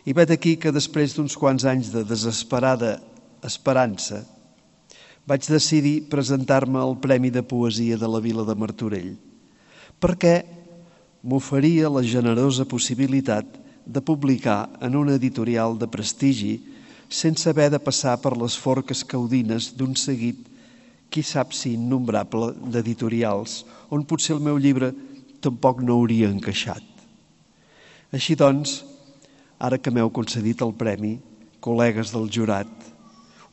I vet aquí que després d'uns quants anys de desesperada esperança vaig decidir presentar-me al Premi de Poesia de la Vila de Martorell, perquè m'oferia la generosa possibilitat de publicar en una editorial de prestigi sense haver de passar per les forques caudines d'un seguit, qui sap si innombrable, d'editorials, on potser el meu llibre tampoc no hauria encaixat. Així doncs, ara que m'heu concedit el premi, col·legues del jurat,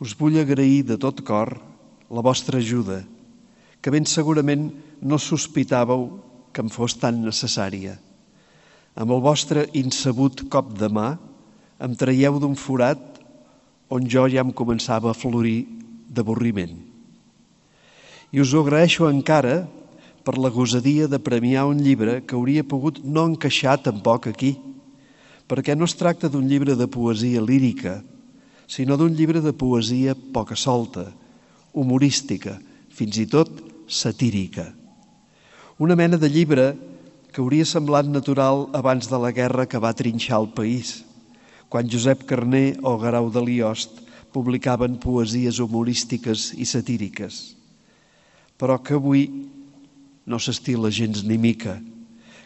us vull agrair de tot cor la vostra ajuda, que ben segurament no sospitàveu que em fos tan necessària. Amb el vostre insabut cop de mà em traieu d'un forat on jo ja em començava a florir d'avorriment. I us ho agraeixo encara per la gosadia de premiar un llibre que hauria pogut no encaixar tampoc aquí, perquè no es tracta d'un llibre de poesia lírica, sinó d'un llibre de poesia poca solta, humorística, fins i tot satírica. Una mena de llibre que hauria semblat natural abans de la guerra que va trinxar el país, quan Josep Carner o Guerau de Liost publicaven poesies humorístiques i satíriques, però que avui no s'estila gens ni mica,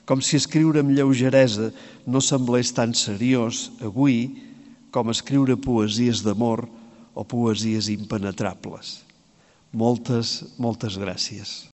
com si escriure amb lleugeresa no semblés tan seriós avui com escriure poesies d'amor o poesies impenetrables. Moltes gràcies.